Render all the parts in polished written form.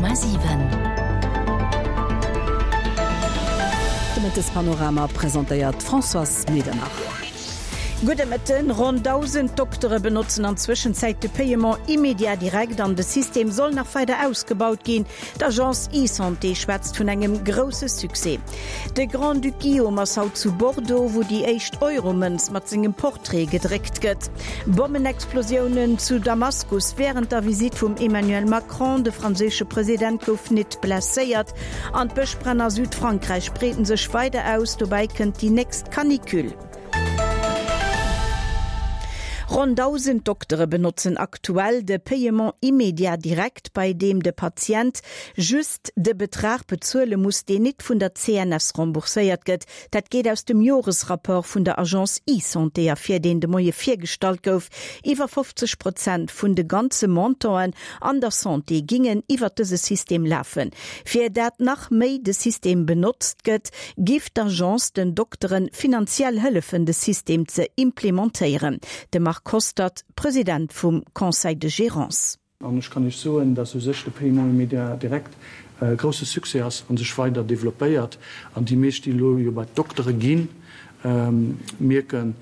100,7. De Mëttespanorama presentéiert d'Françoise Medernach. Gudde Mëtten. Ronn 1.000 Doktere benotzen an Zwëschenzäit de Paiement immédiat direct an de System soll nach weider ausgebaut ginn. D'Agence eSanté schwätzt vun engem grousse Succès. De Grand-Duc Guillaume ass haut zu Bordeaux, wou déi éischt Euromënz mat sengem Portrait gedréckt gëtt. Bommenexplosiounen zu Damaskus wärend der Visitt vum Emmanuel Macron, de franséische President gouf nit blesséiert. An d'Bëschbränn a Südfrankräich breeten sech weider aus, dobäi kënnt déi nächst Canicule. Ronn 1.000 Doktere benotzen aktuell de Paiement immédiat direct, bei deem de Patient just de Betrag bezuele muss, deen nit vun der CNS rembourséiert gëtt. Dat geet aus dem Joresrapport vun der Agence eSanté ervir, deen de Moie virgestallt gouf. Iwwer 50 Prozent vun de ganze Montanten an der Santé gingen iwwert dëse System lafen. Fir dat nach méi de System benotzt gëtt, giff d'Agence den Dokteren finanziell hëllefen de System ze implementéieren. De Marc Hostert, President vum Conseil de Gérance. An ech kann Iech soen, dass u sech de Paiement immédiat direct e grousse Succès ass a sech weider developpéiert. An déi meescht, déi elo jo bei d'Doktere ginn, mierken,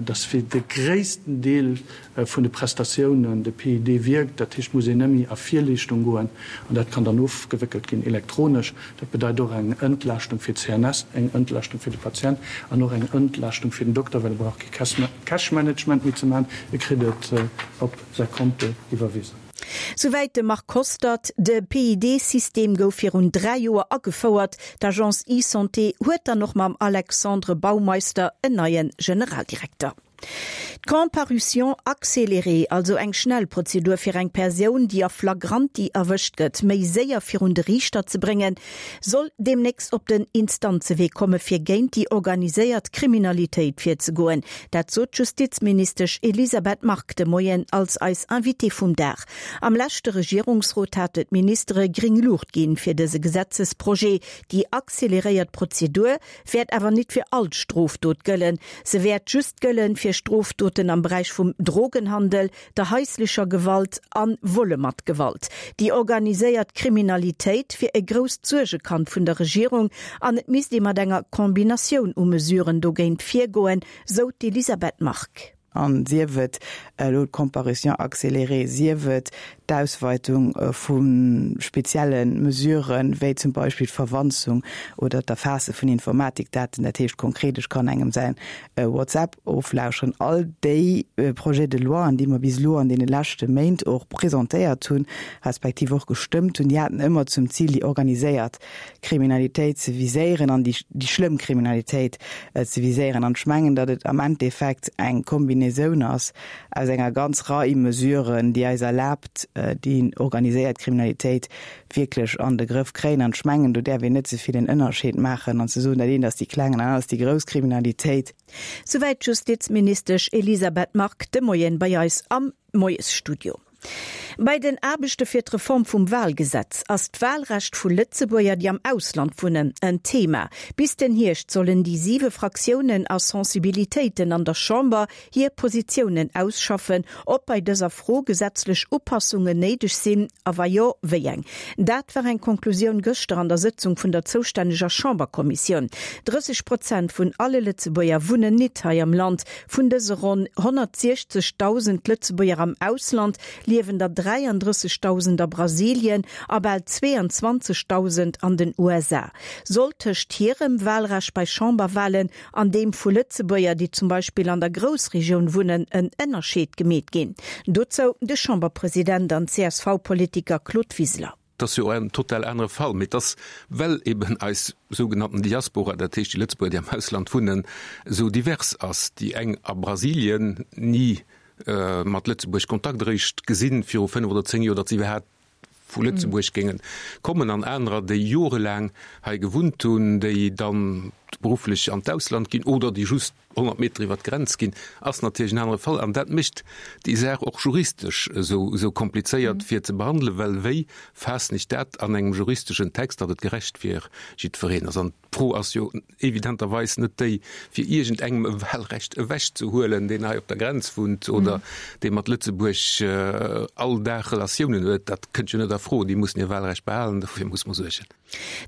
dass fir de gréissten Deel vun de Prestatiounen de PID wierkt. Dat heescht, et muss een net méi a Virleeschtung goen an dat kann dann ofgewéckelt ginn elektronesch. Dat bedeit och eng Entlaaschtung fir d'CNS, eng Entlaaschtung fir de Patient an och eng Entlaaschtung fir den Dokter, well e brauch kee Cash-Management méi ze maachen, e kritt et op säi Konto iwwerwisen. Souwäit de Marc Hostert. De PID-System gouf virun 3 Joer agefouert. D'Agence eSanté huet dann och mam Alexandre Baumeister en neie Generaldirekter. D'Comparution accélérée, also eng schnell Prozedur fir eng Persoun, déi a flagranti erwëscht gëtt, méi séier virun de Riichter ze bréngen, soll deemnächst op den Instanzewee komme fir géint déi organiséiert Kriminalitéit virzegoen. Dat sot d'Justizministesch Elisabeth Margue de Moien als eis Invitée vum Dag. Am leschte Regierungsrot hate d'Ministere gréng Luucht ginn fir dëse Gesetzesprojet. Déi acceleréiert Prozedur wäert awer nit fir all d'Strofdot gëllen. Se wäert just gëllen fir Strofdoten am Beräich vum Drogenhandel, der haislecher Gewalt a Volle mat Gewalt. Déi organiséiert Kriminalitéit wier e grousst Suergekand vun der Regierung an et misst ee mat enger Kombinatioun u Mesuren dogéint virgoen, sou d'Elisabeth Margue. A sief et elo d'Comparution accélérée, sief et d'Ausweitung vu spezielle Mesuren, wéi zum Beispill d'Verwanzung oder d'Erfaasse vun Informatikdaten, dat heescht konkret, ech kann engem säin WhatsApp oflauscheren, all déi Projets de loien, déi mer bis elo an deene leschte Méint och presentéiert hunn, respektiv och gestëmmt hunn, déi haten ëmmer zum Zil, déi organiséiert Kriminalitéit ze viséieren an déi schlëmm Kriminalitéit ze viséieren. An ech mengen, datt et am Endeffekt eng Kombinaisoun ass aus enger ganz Rei Mesuren, déi eis erlaabt, déi organiséiert Kriminalitéit wierklech an de Grëff kréien. An ech mengen, do däerf een net ze vill en Ënnerscheed maachen an ze soen, dat eent ass déi kleng an dat anert ass déi grouss Kriminalitéit. Souwäit d'Justizministesch Elisabeth Margue de Moien bei eis am Moiesstudio. Bei den Aarbechte fir d'Reform vum Walgesetz ass d'Walrecht vu Lëtzebuerger, déi am Ausland wunnen, en Thema. Bis den Hierscht sollen déi siwe Fraktiounen a Sensibilitéiten an der Chamber hir Positiounen ausschaffen, ob bei dëser Fro gesetzlech Upassungen néideg sinn a wa jo, wéi eng. Dat war eng Konklusioun gëschter an der Sëtzung vun der zoustänneger Chamberkommissioun. 30 Prozent vun alle Lëtzebuerger wunnen nit hei am Land. Vun dëse ronn 160.000 Lëtzebuerger am Ausland liewen der 33.000 a Brasilien a bal 22.000 an den USA. Soll tëscht hirem Walrecht bei Chamberwalen an deem vu Lëtzebuerger, déi zum Beispill an der Groussregioun wunnen, en Ënnerscheed gemeet ginn? Dozou de Chamberpresident an CSV-Politiker Claude Wiseler. Et ass jo en total anere Fall, mee et ass, well eben eis sougenannten Diaspora, dat heescht déi Lëtzebuerger, déi am Ausland wunnen, esou divers ass, déi eng a Brasilien, ni mat Lëtzebuerg Kontakt, eréischt gesinn viru 5 oder 10 Joer, datt se iwwerhaapt vu Lëtzebuerg géinge kommen, an anerer, déi jorelaang hei gewunnt hunn, déi dann. berufflech an d'Ausland ginn oder déi just 100 Meter iwwer d'Grenz ginn, ass natierlech en anere Fall. An dat mécht déi Saach och juristesch esou, esou komplizéiert fir ze behandelen, well wéi faassen ech dat an engem juristeschen Text, datt et gerecht fir jiddwereen ass? An d'Fro ass jo evidenterweis net déi, fir iergendengem e Wahlrecht ewechzehuelen, deen hei op der Grenz wunnt oder dee mat Lëtzebuerg all Dag Relatiounen huet. Dat kënnt jo net a Fro. Déi mussen hir Wahlrecht behalen, dofir muss mer suergen.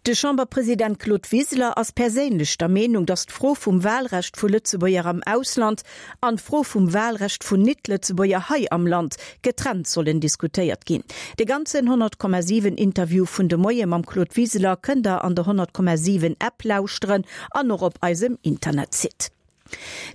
De Chamberpresident Claude Wiseler ass perséinlech der Meenung, datt d'Fro vum Wahlrecht vu Lëtzebuerger am Ausland an d'Fro vum Wahlrecht vun Nit-Lëtzebuerger hei am Land getrennt sollen diskutéiert ginn. De ganzen 100,7 Interview vun de Moie mam Claude Wiseler kënnt der an der 100,7 App lauschteren an och op eisem Internetsite.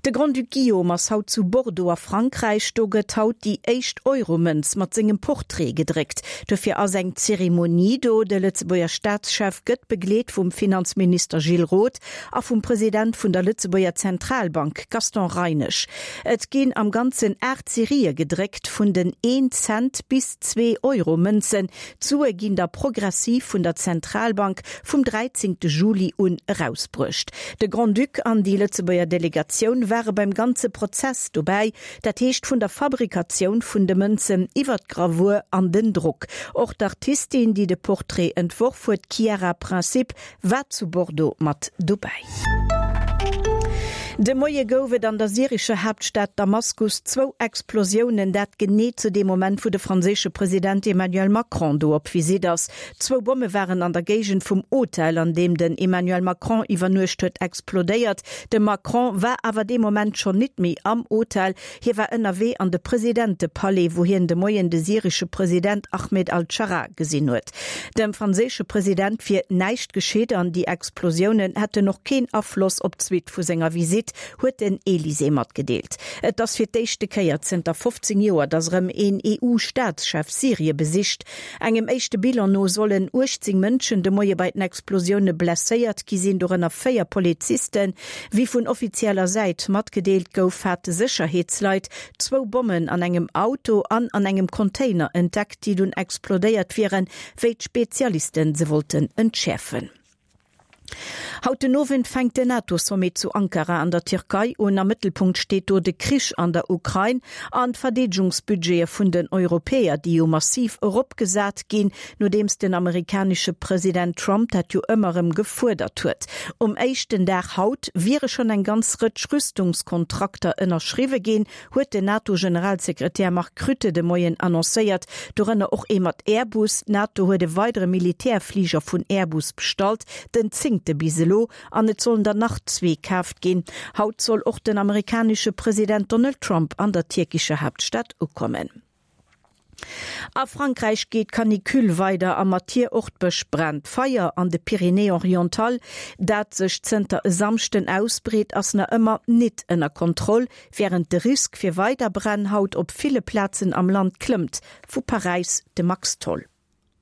De Grand-Duc Guillaume ass haut zu Bordeaux a Frankräich. Do gëtt haut déi éischt Euromënz mat sengem Portrait gedréckt. Dofir ass eng Zeremonie do. De Lëtzebuerger Staatschef gëtt begleet vum Finanzminister Gilles Roth a vum President vun der Lëtzebuerger Zentralbank Gaston Reinesch. Et ginn am Ganzen 8 Serië gedréckt, vun den een Cent bis Zwee-Euro-Mënzen. D'Sue ginn da progressiv vun der Zentralbank vum 13 Juli un erausbruecht. De Grand-Duc an déi Lëtzebuerger Delegatioun ware beim ganze Prozess dobäi, dat heescht vun der Fabrikatioun vun de Mënzen iwwer d'Gravur an den Drock. Och d'Artistin, déi de Portrait entworf huet, d'Chiara Principe, war zu Bordeaux mat dobäi. De Moie gouf et an der syrescher Haaptstad Damaskus zwou Explosiounen, dat genee zu deem Moment, wou de franséische President Emmanuel Macron do op Visitt ass. Zwou Bomme waren an der Géigend vum Hotel, an deem den Emmanuel Macron iwwernuecht huet, explodéiert. De Macron war awer dee Moment schonn nit méi am Hotel. Hie war ënnerwee an de Presidentepalais, wou hien de Moien de syresche President Ahmed al-Scharaa gesinn huet. Dem franséische President wier näischt geschitt an déi Explosiounen hätten och keen Afloss op d'Suite vu senger Visitt, huet den Elysée matgedeelt. Et ass fir d'éischte Kéier zënter 15 Joer, datt erëm een EU-Staatschef Syrie besicht. Engem éischte Bilan no sollen 18 Mënschen de Moie bei den Explosioune blesséiert gi sinn, dorënner 4 Polizisten. Wéi vun offizieller Säit matgedeelt gouf, hate Sécherheetsleit zwou Bommen an engem Auto an an engem Container entdeckt, déi dunn explodéiert wieren, wéi d'Spezialiste se wollten entschäerfen. Haut den Owend fänkt den NATO-Sommet zu Ankara an der Tierkei un. Am Mëttelpunkt steet do de Krich an der Ukrain an d'Verdeedegungsbudgete vun den Europäer, déi jo massiv eropgesat ginn, nodeems den amerikanesche President Trump dat jo ëmmer erëm gefuerdert huet. Um éischten Dag haut wiere schonn eng ganz Rëtsch Rüstungskontrakter ënnerschriwwe ginn, huet den NATO-Generalsekretär Mark Rutte de Moien annoncéiert, dorënner och ee mat Airbus. D'NATO huet e weidere Militärfliger vun Airbus bestallt, den zéngte bis elo, an et sollen der nach zwee kaaft ginn. Haut soll och den amerikanesche President Donald Trump an der tierkescher Haaptstad ukommen. A Frankräich geet d'Canicule weider a mat hir och d'Bëschbränn. D'Feier an de Pyrénées-Orientales, dat sech zënter e Samschden ausbreet, ass nach ëmmer nit ënner Kontroll, wärend de Risk fir weider Bränn haut op ville Plazen am Land klëmmt. Vu Paräis de Max Tholl.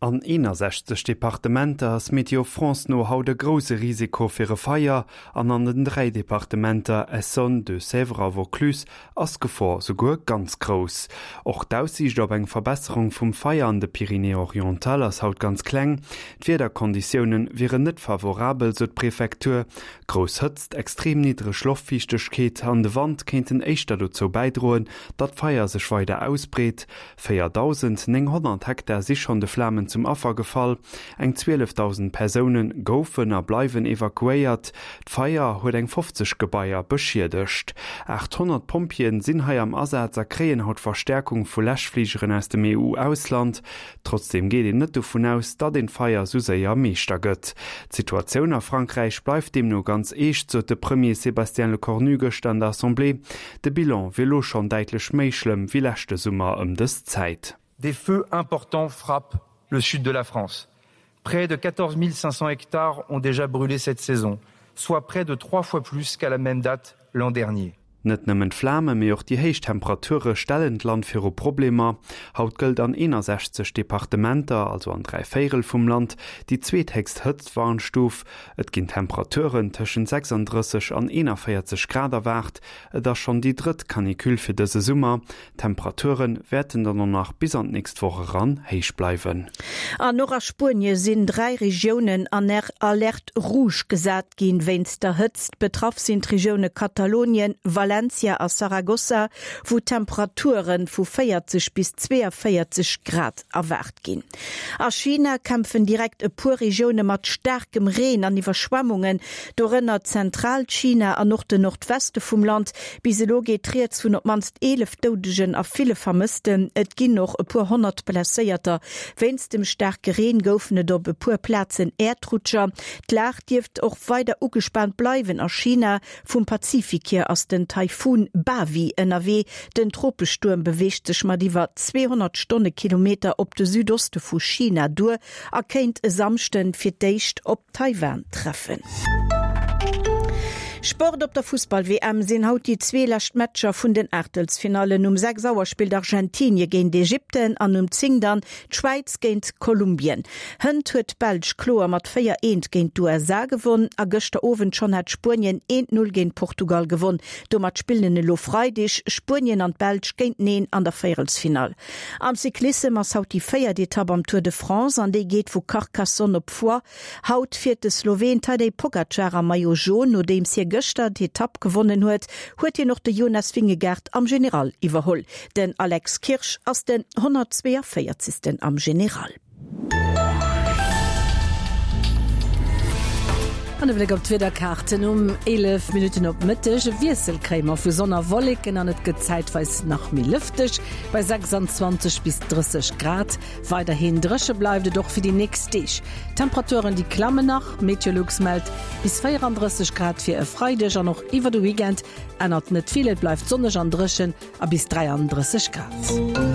An 61 Departementer ass Météo France no haut e grousse Risiko fir e Feier an an den 3 Departementer Essonne, Deux-Sèvres a Vaucluse ass d'Gefor souguer ganz grouss. Och d'Aussiicht op eng Verbesserung vum Feier an de Pyrénées-Orientales ass haut ganz kleng. D'Wiederkonditioune wieren net favorabel, sou d'Prefektur. Grouss Hëtzt, extrem niddreg Loftfiichtegkeet an de Wand kéinten éischter dozou bäidroen, datt d'Feier sech weider ausbreet. 4.900 Hektar si schonn de Flamen zum Affer gefall, eng 12.000 Persoune goufen a bleiwen evakuéiert. D'Feier huet eng 50 Gebaier beschiedegt. 800 Pompjeeën sinn hei am Asaz a kréien haut Verstäerkung vu Läschfligeren aus dem EU-Ausland. Trotzdeem geet een net dovun aus, datt een d'Feier sou séier Meeschter gëtt. D'Situatioun a Frankräich bleift deemno ganz eescht, sot de Premier Sébastien Lecornu gëschter an der Assemblée. De Bilan wier lo schonn däitlech méi schlëmm wéi leschte Summer ëm dës Zäit. Des feux importants frappent le sud de la France. Près de 14 500 hectares ont déjà brûlé cette saison, soit près de trois fois plus qu'à la même date l'an dernier. Net nëmmen d'Flame mee och déi héich Temperature stellen d'Land viru Problemer. Haut gëllt an 61 Departementer, also an 3 Véirel vum Land, déi zweethéchst Hëtztwarnstuf. Et ginn Temperaturen tëschent 36 an 41 Grad erwaart. Et ass schonn déi drëtt Canicule fir dëse Summer. D'Temperature wäerten dann och nach bis an d'nächst Woch eran héich bleiwen. An och a Spuenie sinn 3 Regiounen an Alerte rouge gesat ginn wéinst der Hëtzt. Betraff sinn d'Regioune Katalonien, Valencia a Saragossa, wou Temperature vu 40 bis 42 Grad erwaart ginn. A China kämpfen direkt e puer Regioune mat staarkem Reen an Iwwerschwemmungen, dorënner Zentralchina an och den Nordweste vum Land. Bis elo geet rieds vun op d'mannst 11 Doudegen a ville Vermëssten. Et ginn och e puer 100 Blesséierter. Wéinst dem staarke Reen goufen et op e puer Plazen Äerdrutscher. D'Lag dierft och weider ugespaant bleiwen a China. Vum Pazifik hier ass den Taifun Bavi ënnerwee. Den Tropestuerm beweegt sech mat iwwer 200 Stonnekilometer op de Südoste vu China duer a kéint e Samschden fir d'éischt op Taiwan treffen. Sport, Op der Fussball-WM sinn haut déi zwee lescht Matcher vun den Aachtelsfinallen. Um 6 Auer spillt Argentinie géint Ägypten an um 10 dann d'Schwäiz géint Kolumbien. Hënt huet d'Belsch kloer mat 4, eent géint d'USA gewonn a gëschter Owend schonn hat Spuenien eent, Null géint Portugal gewonn. Domat spillen elo Freideg Spuenien an d'Belsch géinteneen an der Véierelsfinall. Am Cyclissem ass haut déi véiert Etapp am Tour de France an déi geet vu Carcassonne op Foix. Haut fiert de Sloween Tadej Pogacar am Maillot Jaune. Nodeems hie gëschter d'Etapp gewonnen huet, huet hien och de Jonas Vingegaard am General iwwerholl. Den Alex Kirsch ass den 142. am General. An e Bléck op d'Wiederkaarten um 11 Minutten op Mëtteg, E Wiessel kréie mer vu Sonn a Wolleken an et gëtt zäitweis nach méi lëfteg bei 26 bis 30 Grad. Weiderhin dréche bleift et och fir déi nächst Deeg. D'Temperaturen déi klammen nach, Meteolux mellt bis 34 Grad fir e Freideg an och iwwer de Weekend ännert net vill, et bleift sonneg an dréchen a bis 33 Grad.